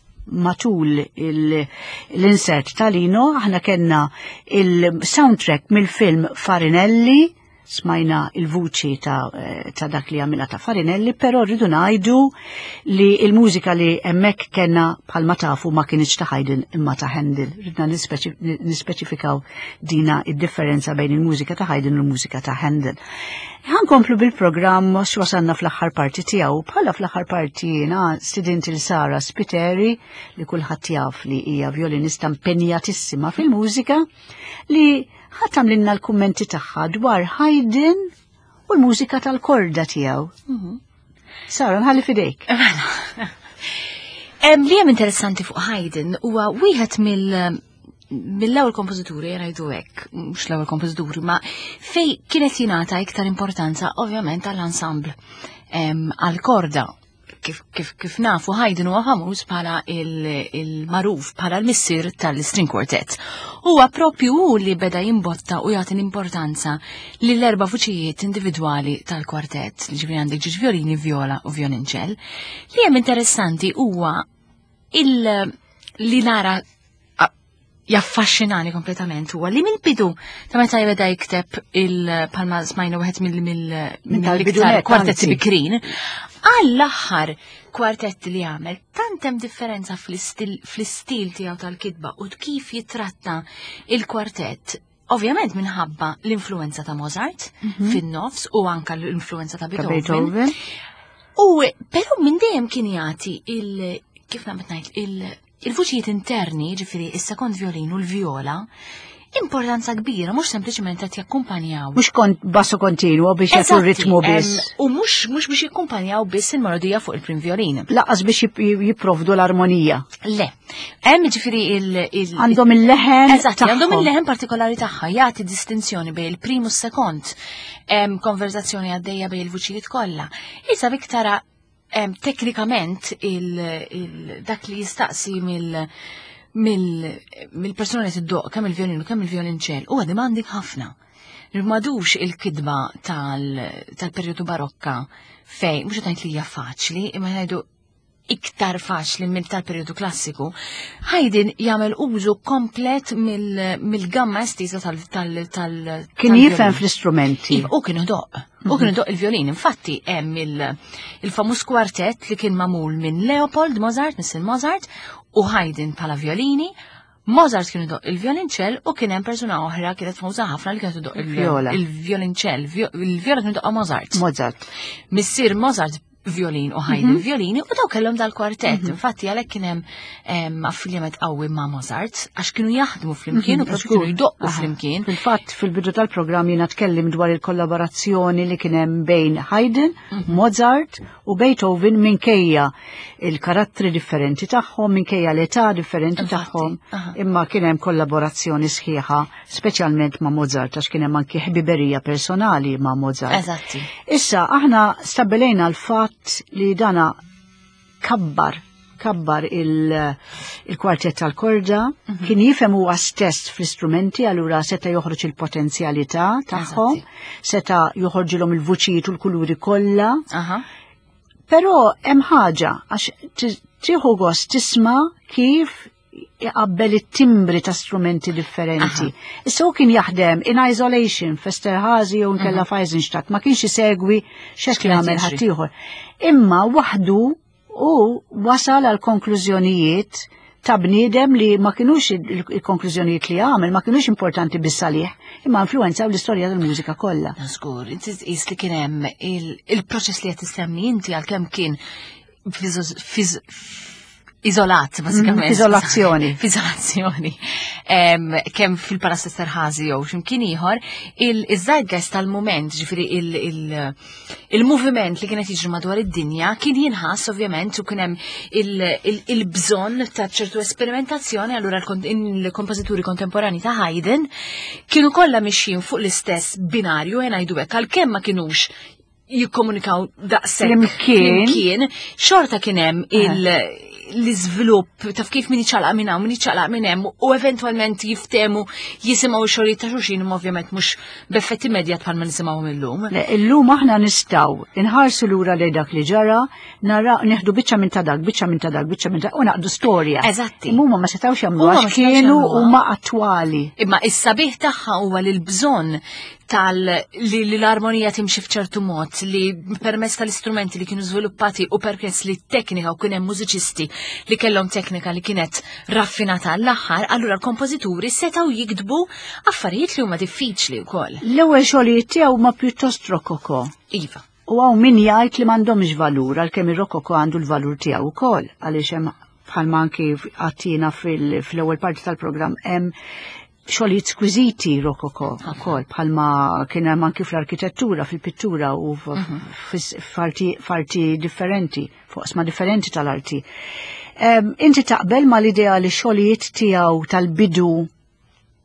matul l-insert ta' Lino aħna kellna il-soundtrack mill-film Farinelli, smajna il-vuċi ta', ta' dak li għamilha ta' Farinelli, però rridu ngħidu li il-mużika li hemmhekk kellna bħalma tafu ma kinitx ta' Haydn imma ta' Handel. Ridna nispeċifikaw dina id-differenza bejn il-mużika ta' Haydn u l-mużika ta' Handel. Ħankomplu bil-programm x'wasalna fl-aħħar parti tiegħu. Bħala fl-aħħar parti jiena stidint il Sara Spiteri li kulħadd jaf li hija violinista impenjatissima fil-mużika li ħa tagħmlilna l-kummenti tagħha dwar Haydn u l-mużika tal-korda tiegħu. Mhm. Sara, nħalli fidejk. Mela. Li hemm interessanti fuq Haydn huwa wieħed mill mill-ewwel kompożituri, ngħidu hekk, mhux l-ewwel kompożituri, ma fej kienet jingħata iktar importanza ovvjament għall-ensemble, għall-korda. Kif, kif, kif nafu Haydn huwa famuż bħala il-magħruf bħala l-missier tal-string quartet. Huwa propju hu li beda jimbotta u jagħti l-importanza lill-erba' vuċijiet individwali tal-kwartett, li ġifieri għandek ġiex violini, viola u violinċell. Li hemm interessanti huwa il li nara jaffaxxinani kompletament huwa li mill-bidu ta' meta jibda jikteb il-palma smajna wieħed mill-iktar kwartetti bikrin, għall-aħħar kwartetti li għamel, tant hemm differenza fl-istil tiegħu tal-kitba u kif jitratta il-kwartett. Ovvjament minħabba l-influenza ta' Mozart Mhm. fin-nofs u anka l-influenza ta' Ta' Beethoven. Beethoven. U però minn dejjem kien jagħti il kif nagħmel ngħid il il-vuċijiet interni, ġifieri is-sekond violin u l-viola, importanza kbira, mhux sempliċement qed jakkumpanjaw. Mhux kont basso continuo biex jagħtu Eżatti, ritmu biss. em, U mhux mhux biex jakkumpanjaw biss il-melodija fuq il-prim violin. Lanqas biex jip- jipprovdu l-armonija. Le. Hemm ġifieri il- il- Għandhom il-leħen Eżatt, għandhom tagħhom. il-leħen partikolari tagħha jagħti distinzjoni bejn il-prim u s-sekond. Hemm konverzazzjoni għaddejja bejn il-vuċijiet kollha. Issa bik tara em, teknikament il, il, dak li jistaqsi mill mill mill-persuna li tiddoq kemm il-violin u kemm il-violinċell huwa demanding ħafna. Madux il-kidba tal- tal-perjodu barokka fej, mhux qed ngħid li hija faċli, imma ngħidu iktar faċli minn tal-perjodu klassiku, Haydn jagħmel użu komplet mill- mill-gamma estiża tal- tal- tal- Kien tal-violin. jifhem fl-istrumenti. Iva, u kien idoq. U kien idoq il-violin. Infatti, hemm il- il-famuż kwartett li kien magħmul minn Leopold Mozart, Mister Mozart, u Haydn bħala violini. Mozart kien idoq il-violinċell u kien hemm persuna oħra kienet famuża ħafna li kienet idoq il- Il-viola. il-violinċell. Vio- Il-viola kien idoqha Mozart. Mozart. Missier Mozart violin u Haydn violini u daw kellhom dal-kwartett. Infatti għalhekk kien hemm em, affiljament qawwi ma' Mozart għax kienu jaħdmu flimkien u propju kienu jdoqqu Aha. flimkien. Fil-fatt, fil-bidu tal-programm jiena tkellim dwar il-kollaborazzjoni li kien hemm bejn Haydn, Mozart u Beethoven minkejja il-karattri differenti tagħhom, minkejja l-età differenti Infatti, tagħhom, aha. imma kien hemm kollaborazzjoni sħiħa, speċjalment ma' Mozart, għax kien hemm anki ħbiberija personali ma' Mozart. Eżatti. Issa, aħna stabbilejna l-fatt li dana kabbar kabbar il- il-kwartett tal-korda, kien jifhem huwa stess fl-istrumenti, allura seta joħroġ il-potenzjalità tagħhom, seta joħorġilhom il-vuċijiet u l-kuluri kollha. Aha. Però hemm ħaġa għax ti- tieħu gost tisma' kif iqabbel it-timbri ta' strumenti differenti. Issa hu kien jaħdem in isolation f'Esterhazy jew nkella f'Eisenstadt, ma kienx isegwi x'qed X'kien qed jagħmel jiġri. ħaddieħor. Imma waħdu u wasal għal konklużjonijiet ta' bniedem li ma kienux il-konklużjonijiet li għamel, ma kienux importanti biss għalih, imma influenzaw l-istorja tal-mużika kollha. Żgur, inti tqis li kien hemm il- il-proċess li qed tissemmi inti għalkemm kien fiż- fiż- iżolat, bażikament. F'izolazzjoni. F'izolazzjoni. Em, Kemm fil-Palazz Esterhazy jew x'imkien ieħor, il-zeitgeist tal-mument, ġifieri il- il- il-moviment li kienet jiġri madwar id-dinja kien jinħass ovvjament u kien hemm il- il- il-bżonn ta' ċertu esperimentazzjoni, allura l-kon- il-kompożituri kontemporani ta' Haydn kienu kollha mixjin fuq l-istess binarju, ħa ngħidu hekk, għalkemm ma kinux jikkomunikaw daqshekk Flimkien. flimkien, xorta kien hemm il- l-iżvilupp taf kif min iċċaqlaq minn hawn, min iċċaqlaq minn hemm u eventwalment jiftemu jisimgħu x-xogħlijiet ta' xulxin imma ovvjament mhux b'effett immedjat bħalma nisimgħuhom illum. Le, Illum aħna nistgħu inħarsu lura lejn dak li ġara, nara neħdu biċċa minn ta' dak, biċċa minn ta' dak, biċċa minn ta' u naqdu storja. Eżatti. Imma huma ma setgħux jagħmlu Huma ma għax setgħux kienu jagħmluha. huma attwali. Imma is-sabiħ tagħha huwa li l-bżonn tal li, li l-armonija timxi f'ċertu mod, li permezz tal-istrumenti li kienu żviluppati u permezz li t-teknika u kien hemm mużiċisti li kellhom teknika li kienet raffinata għall-aħħar, allura l-kompożituri setgħu jiktbu affarijiet li huma diffiċli wkoll. L-ewwel xogħlijiet tiegħu ma pjuttost rokoko. Iva. U hawn min jgħid li m'għandhomx valur għalkemm ir-rokoko għandu l-valur tiegħu wkoll għaliex hemm bħalma anki għattina fil-ewwel parti tal-programm hemm xogħlijiet skwiżiti rokoko wkoll bħalma kien hemm anki fl-arkitettura, fil-pittura u f- f- f'arti differenti, f'oqsma differenti tal-arti. Em, Inti taqbel ma l-idea li xogħlijiet tiegħu tal-bidu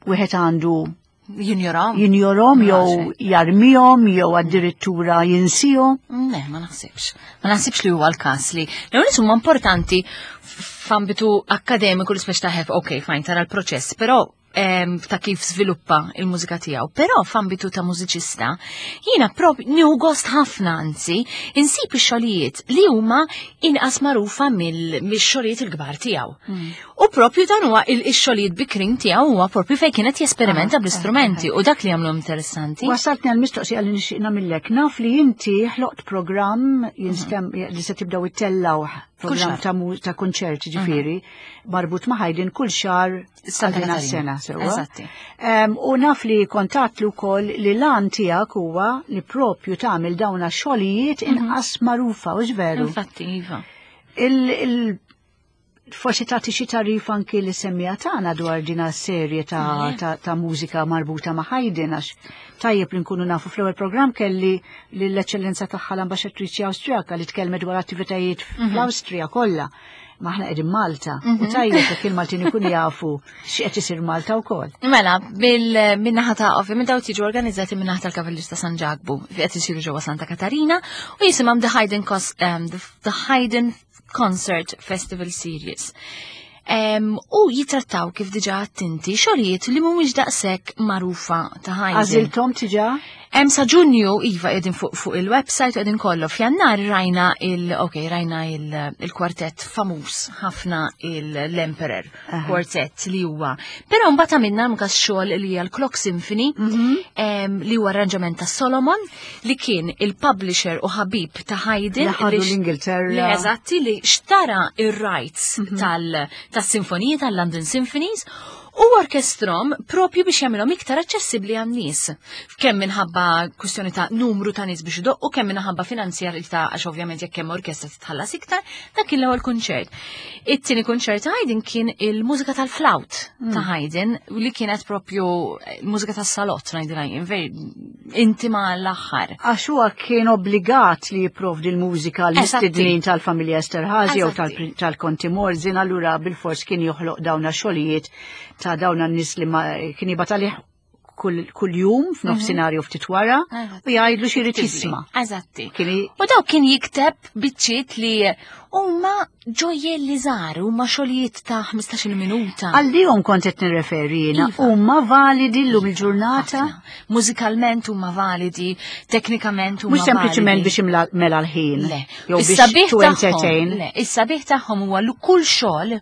wieħed għandu Jinjorahom? jinjorhom jew Maġi. jarmihom jew addirittura jinsihom? Ne, ma naħsibx. Ma naħsibx li huwa l-każ li l-ewwel huma importanti f'ambitu akkademiku li speċ taħef, ok, fine, tara l-proċess, però em, ta' kif żviluppa il-mużika tiegħu. Però f'ambitu ta' mużiċista, jiena prop nieħu gost ħafna anzi insib ix-xogħlijiet li huma inqas magħrufa mill-xogħlijiet il-kbar tiegħu. U propju dan huwa il-xogħlijiet bikrin tiegħu huwa propju fejn kienet jesperimenta bl-istrumenti u dak li jagħmlu interessanti. Wasaltni għal mistoqsija li nixtieq nagħmillek. Naf li inti ħloqt programm jinstem li se tibdew ittellgħu programm xahar. ta' mu- ta' konċerti ġifieri marbut ma' Haydn kull xahar Santa għal din Katarina. sena sewwa. Eżatti. Em, U naf li kontatlu wkoll li l-għan tiegħek huwa li propju tagħmel dawn xogħlijiet inqas magħrufa u veru. Infatti, iva. Il, il, forsi tagħti xi tarif anki li semmija tagħna dwar din serje ta', ta, ta' mużika marbuta ma' Haydn għax tajjeb li nkunu nafu fl-ewwel programm kelli lill-eċċellenza tagħha l-ambaxxatriċi Awstrijaka li tkellmet dwar attivitajiet fl-Awstrija kollha. Ma aħna qegħdin Malta u tajjeb jekk il-Maltin ikunu jafu x'qed isir Malta wkoll. Mela, bil-minnaħa ta' ovvjament daw tiġu organizzati minnaħa tal-Kavallier ta' San Ġakbu, fi qed isiru ġewwa Santa Katarina u jisimhom The Haydn, Cos- um, the, the Haydn Concert Festival Series. Um, u jitrattaw kif diġà attenti xogħlijiet li mhumiex daqshekk magħrufa ta' Haydn. Għażilthom diġà? Hemm sa Ġunju iva qegħdin fuq fuq il-website u qegħdin kollu. F'Jannar rajna il ok, rajna il- il-kwartett famuż ħafna l-Emperor Quartet li huwa. Però mbagħad għamilna anke xogħol li hija l-Clock Symphony em, li huwa arranġament ta' Solomon li kien il-publisher u ħabib ta' Haydn Li ħadu li x- l-Ingilterra. li eżatti li xtara ir-rights tal tas-sinfoniji tal-London Symphonies U orkestrom propju biex jagħmilhom iktar aċċessibbli għan-nies. Kemm minħabba kwistjoni ta' numru ta' nies biex idoqqu, kemm minħabba finanzjarità għax ovvjament jekk hemm orkestra titħallas iktar, dak kien l-ewwel kunċert. It-tieni kunċert ta' Haydn kien il-mużika tal-flawt ta' Haydn li kienet propju l-mużika tas-salott ngħidilha jien, veri intima l-aħħar. Għax huwa kien obbligat li jipprovdi l-mużika l-mistednin tal-familja Esterhazy jew Eżatti. tal-Konti Morzin, allura bil-fors kien joħloq dawna xogħlijiet ta' dawna n-nies li ma kien jibgħat għalih kull kull jum f'nofsinhar jew ftit wara Eżatt. u jgħidlu x'irid jisma'. Eżatti. Kien i- U daw kien jikteb biċċiet li huma ġojjelli żgħar, huma xogħlijiet ta' ħmistax-il minuta. Għalihom kont qed nirreferi jiena, Iva. huma validi llum il-ġurnata, Ħafna. Mużikalment huma validi, teknikament huma mhux sempliċement validi. biex imla mela l-ħin. Le. Jew biex Is-sabiħ to tagħhom- entertain. Le, is-sabiħ tagħhom huwa li kull xogħol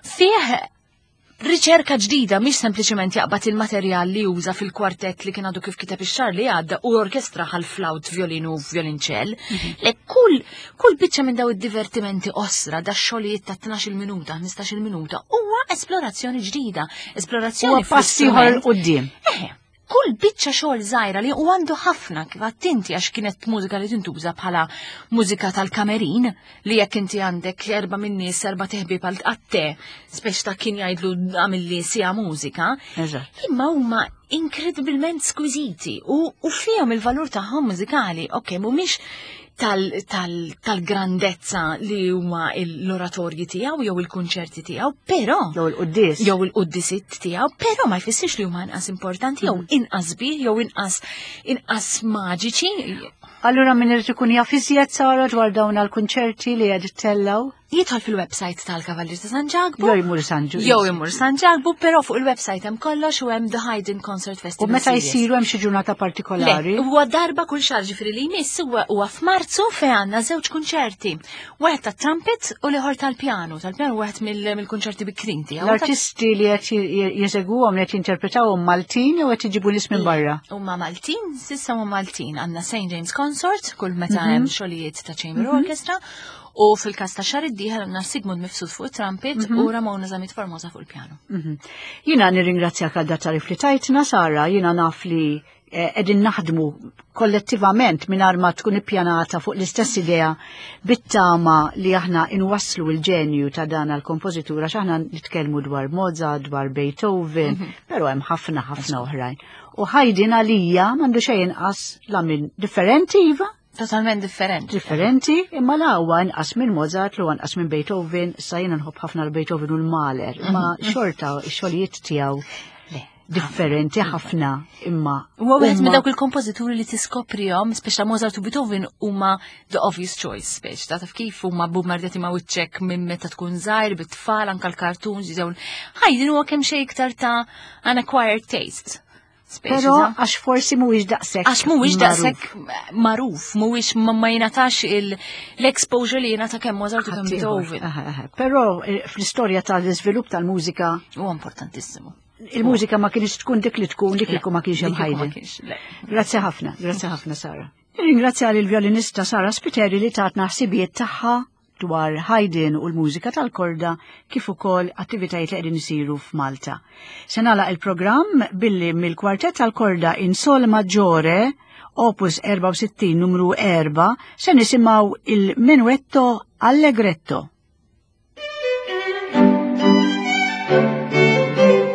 fih riċerka ġdida, mhix sempliċement jaqbad il-materjal li juża fil-kwartett li kien għadu kif kiteb ix-xahar li għadda u orkestra għal flawt, violin u violonċell. Le kull kull biċċa minn daw id-divertimenti osra, da xogħlijiet ta' tnax-il minuta, ħmistax-il minuta, huwa esplorazzjoni ġdida, esplorazzjoni Huwa pass ieħor fl-istrument. quddiem. Eħe, kull biċċa xogħol żgħira li u għandu ħafna kif attenti għax kienet mużika li tintuża bħala mużika tal-kamerin li jekk inti għandek erba' min-nies erba' teħbib għal għatte speċ ta' kien jgħidlu għamilli sija mużika. Eżatt. Imma huma inkredibilment skwiziti u, u fihom il-valur tagħhom mużikali, ok, mhumiex tal-grandezza tal, li huma l-oratorji tiegħu jew il-kunċerti tiegħu, però Jew il-quddies. jew il-quddisiet tiegħu, però ma jfissirx li huma inqas importanti jew inqas bih jew inqas inqas maġiċi. Allura min irid ikun jaf iżjed Sara dwar dawn għall-kunċerti li qed ittellgħu? Jidħol fil-website tal-Kavallier ta' San Ġakbu. Jew jmur San Ġu. Jew imur San Ġakbu, però fuq il-website hemm kollox u hemm The Haydn Concert U Festival. meta Series. jsiru hemm xi ġurnata partikolari? Le, huwa darba kull xahar ġifieri li jmiss huwa huwa f'Marzu fejn għandna żewġ kunċerti. Wieħed tat-trumpet u l-ieħor tal-pjanu. Tal-pjanu wieħed mill- mill-kunċerti bikrin tiegħu. L-artisti li qed jeżegwuhom li qed jinterpretawhom Maltin jew qed iġibu nies minn barra? Huma Maltin, s'issa huma Maltin. Għandna Saint James Consort, kull meta hemm xogħlijiet ta' Chamber Orchestra, u fil-każ ta' xahar id-dieħel għandna Sigmund Mifsud fuq it-trumpet u Ramona Zamit Formosa fuq il-pjanu. Mhm. Jiena nirringrazzjak għal dat-tarif li tajtna, Sara, jiena naf li eh, qegħdin naħdmu kollettivament mingħajr ma tkun ippjanata fuq l-istess idea bit-tama li aħna inwasslu l-ġenju ta' dan għal-kompożitur għax aħna nitkellmu dwar Mozart, dwar Beethoven, però hemm ħafna ħafna oħrajn. U Haydn għalija m'għandu xejn inqas la minn differenti iva, Totalment differenti. differenti, imma la huwa inqas minn Mozart, u inqas minn Beethoven, sa jiena nħobb ħafna l-Beethoven u l-Mahler, imma xorta x-xogħlijiet tiegħu Le. differenti ħafna imma. Huwa wieħed minn huma- dawk il-kompożituri li tiskoprihom, speċa Mozart u Beethoven huma the obvious choice, speċ ta' taf kif huma bombardjati ma' wiċċek minn meta tkun żgħir bit-tfal anke l-cartoons jew Haydn huwa kemm xejn iktar ta' an acquired taste. Speċi Però ta' għax forsi mhuwiex daqshekk. Għax mhuwiex magħruf. daqshekk magħruf, mhuwiex ma ma jingħatax il- l-exposure li jingħata kemm Mozart u kemm Ħaddieħor. Beethoven. Aha, aha. Però eh, fl-istorja tal-iżvilupp tal-mużika, Huwa importantissimu. il-mużika ma kienx tkun dik li tkun dik li ma kienx hemm Dik li ma Haydn. kienx, le. Grazzi ħafna, grazzi ħafna Sara. Ringrazzja lil violinista Sara Spiteri li tatna ħsibijiet tagħha dwar Haydn u l-mużika tal-korda kif ukoll attivitajiet li qegħdin isiru f'Malta. Se nagħlaq il-programm billi mill-kwartett tal-korda in Sol Maggiore opus erbgħa u sittin numru erbgħa se nisimgħu il-Menuetto Allegretto. Thank you.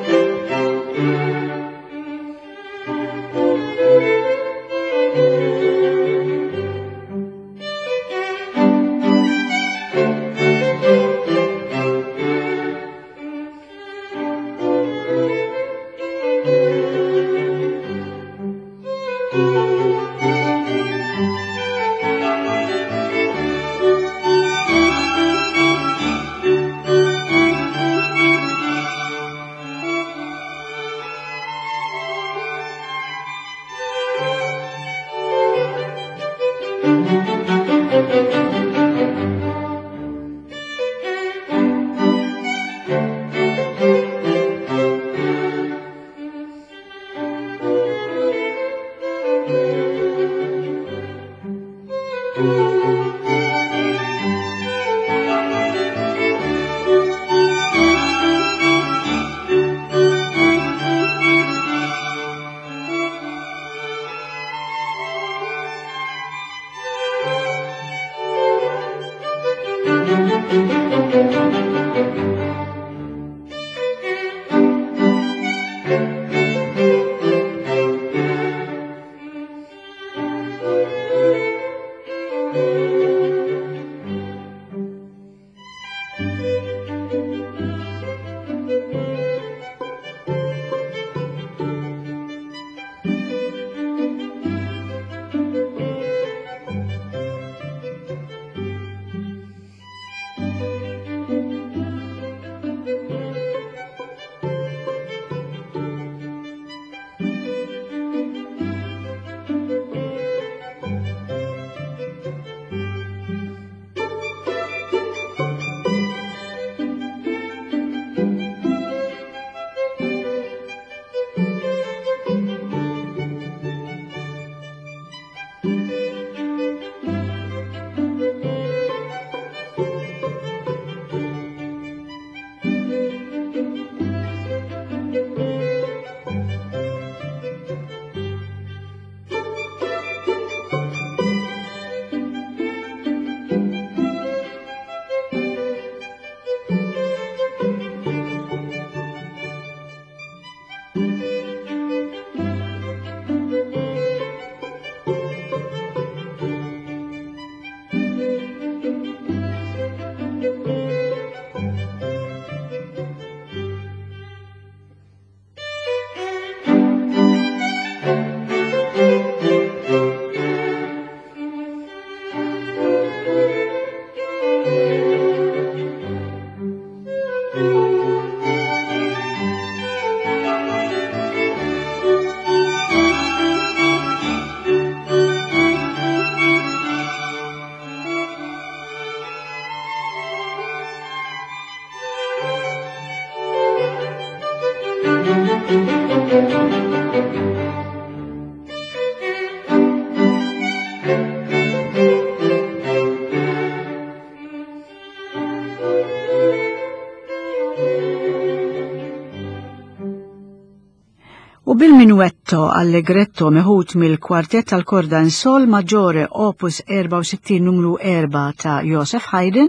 U bil-minuetto allegretto meħud mill-kwartett tal-korda in sol maggiore opus erbgħa u sittin numru erbgħa ta' Joseph Haydn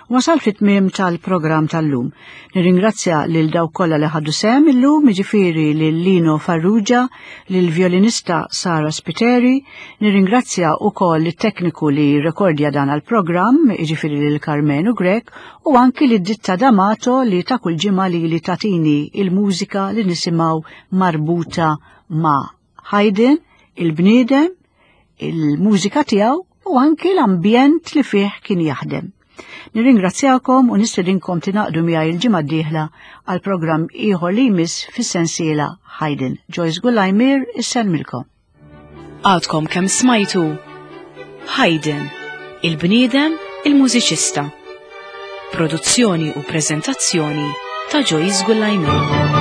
wasal fit-tmiem tal-programm tal-lum. Nirringrazzja lil dawk kollha li ħadu sehem illum, jiġifieri lil Lino Farrugia, lil violinista Sara Spiteri, nirringrazzja wkoll it-tekniku li rekordja dan għall-programm, jiġifieri lil Carmenu Grech, u anki lid Ditta D'Amato li ta' kull ġimgħa li li tatini il-mużika li nisimgħu marbuta ma' Haydn, il-bniedem, il-mużika tiegħu u anki l-ambjent li fih kien jaħdem. Nirringrazzjakom u nistedinkom tingħaqdu miegħi il-ġimgħa d-dieħla għal programm ieħor li jmiss fis-sensiela Haydn. Joyce Gullajmir issellmilkom. Għadkom kemm smajtu Haydn, il-bniedem, il-mużiċista. Produzzjoni u preżentazzjoni ta' Joyce Gullajmir.